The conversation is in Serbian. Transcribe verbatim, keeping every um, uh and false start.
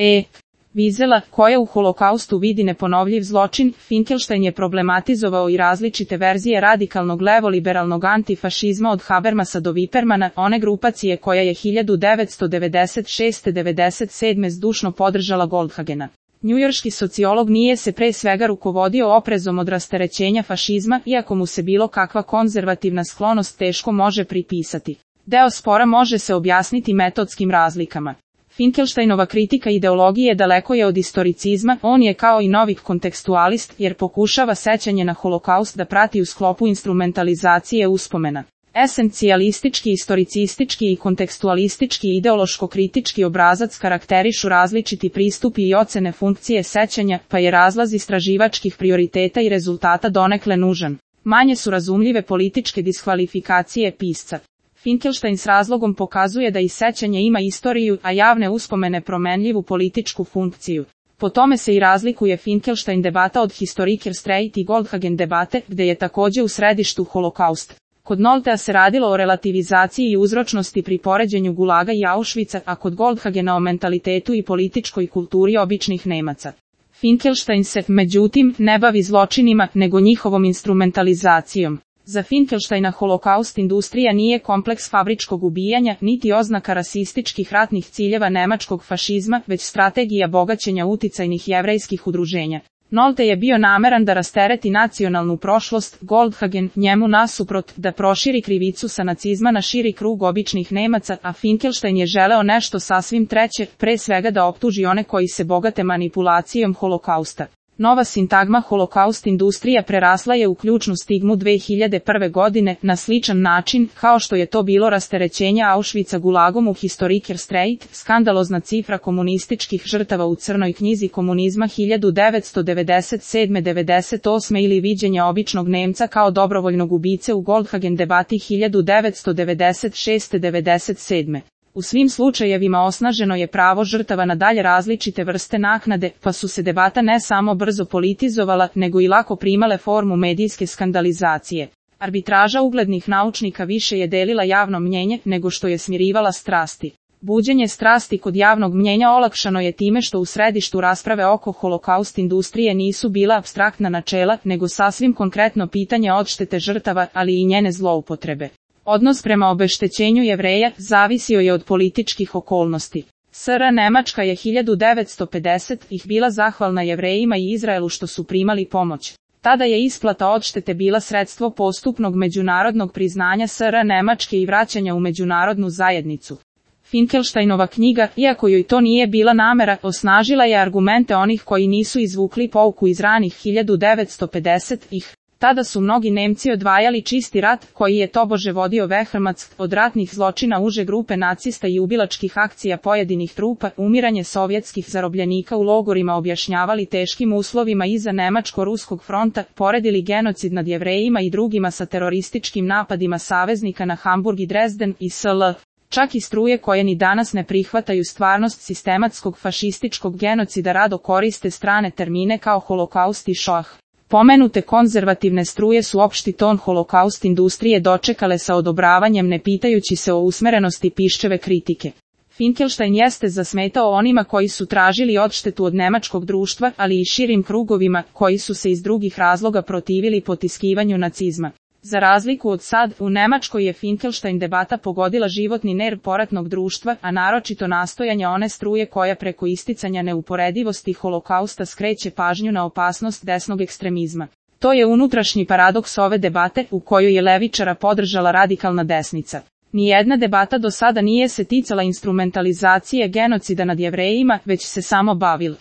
E. Wiesela, koja u holokaustu vidi neponovljiv zločin, Finkelstein je problematizovao i različite verzije radikalnog levo-liberalnog antifašizma od Habermasa do Wippermana, one grupacije koja je hiljadu devetsto devedeset šeste do devedeset sedme zdušno podržala Goldhagena. Njujorški sociolog nije se pre svega rukovodio oprezom od rasterećenja fašizma, iako mu se bilo kakva konzervativna sklonost teško može pripisati. Deo spora može se objasniti metodskim razlikama. Finkelsteinova kritika ideologije daleko je od istoricizma, on je kao i novi kontekstualist, jer pokušava sećanje na holokaust da prati u sklopu instrumentalizacije uspomena. Esencijalistički, istoricistički i kontekstualistički ideološko-kritički obrazac karakterišu različiti pristupi i ocene funkcije sećanja, pa je razlaz istraživačkih prioriteta i rezultata donekle nužan. Manje su razumljive političke diskvalifikacije pisca. Finkelstein s razlogom pokazuje da i sećanje ima istoriju, a javne uspomene promenljivu političku funkciju. Po tome se i razlikuje Finkelstein debata od Historiker Streit i Goldhagen debate, gde je takođe u središtu holokaust. Kod Noltea se radilo o relativizaciji i uzročnosti pri poređenju Gulaga i Auschwitza, a kod Goldhagena o mentalitetu i političkoj kulturi običnih Nemaca. Finkelstein se, međutim, ne bavi zločinima, nego njihovom instrumentalizacijom. Za Finkelsteina holokaust industrija nije kompleks fabričkog ubijanja, niti oznaka rasističkih ratnih ciljeva nemačkog fašizma, već strategija bogaćenja uticajnih jevrejskih udruženja. Nolte je bio nameran da rastereti nacionalnu prošlost, Goldhagen, njemu nasuprot, da proširi krivicu sa nacizma na širi krug običnih Nemaca, a Finkelstein je želeo nešto sasvim treće, pre svega da optuži one koji se bogate manipulacijom holokausta. Nova sintagma holokaust industrija prerasla je u ključnu stigmu dve hiljade prve godine, na sličan način, kao što je to bilo rasterećenja Auschwitza Gulagom u Historiker Streit, skandalozna cifra komunističkih žrtava u crnoj knjizi komunizma hiljadu devetsto devedeset sedme do devedeset osme ili viđenja običnog Nemca kao dobrovoljnog ubice u Goldhagen debati hiljadu devetsto devedeset šeste do devedeset sedme U svim slučajevima osnaženo je pravo žrtava na dalje različite vrste naknade, pa su se debata ne samo brzo politizovala, nego i lako primale formu medijske skandalizacije. Arbitraža uglednih naučnika više je delila javno mnjenje, nego što je smirivala strasti. Buđenje strasti kod javnog mnjenja olakšano je time što u središtu rasprave oko holokaust industrije nisu bila apstraktna načela, nego sasvim konkretno pitanje odštete žrtava, ali i njene zloupotrebe. Odnos prema obeštećenju Jevreja zavisio je od političkih okolnosti. S R Nemačka je hiljadu devetsto pedesetih ih bila zahvalna Jevrejima i Izraelu što su primali pomoć. Tada je isplata odštete bila sredstvo postupnog međunarodnog priznanja S R Nemačke i vraćanja u međunarodnu zajednicu. Finkelsteinova knjiga, iako joj to nije bila namera, osnažila je argumente onih koji nisu izvukli pouku iz ranih hiljadu devetsto pedesetih. Tada su mnogi Nemci odvajali čisti rat, koji je tobože vodio Wehrmacht, od ratnih zločina uže grupe nacista i ubilačkih akcija pojedinih trupa, umiranje sovjetskih zarobljenika u logorima objašnjavali teškim uslovima iza Nemačko-Ruskog fronta, poredili genocid nad Jevrejima i drugima sa terorističkim napadima saveznika na Hamburg i Dresden i sl. Čak i struje koje ni danas ne prihvataju stvarnost sistematskog fašističkog genocida rado koriste strane termine kao holokaust i šoah. Pomenute konzervativne struje su opšti ton holokaust industrije dočekale sa odobravanjem ne pitajući se o usmerenosti piščeve kritike. Finkelstein jeste zasmetao onima koji su tražili odštetu od nemačkog društva, ali i širim krugovima, koji su se iz drugih razloga protivili potiskivanju nacizma. Za razliku od sad, u Nemačkoj je Finkelstein debata pogodila životni nerv poratnog društva, a naročito nastojanja one struje koja preko isticanja neuporedivosti holokausta skreće pažnju na opasnost desnog ekstremizma. To je unutrašnji paradoks ove debate, u kojoj je levičara podržala radikalna desnica. Nijedna debata do sada nije se ticala instrumentalizacije genocida nad Jevrejima, već se samo bavila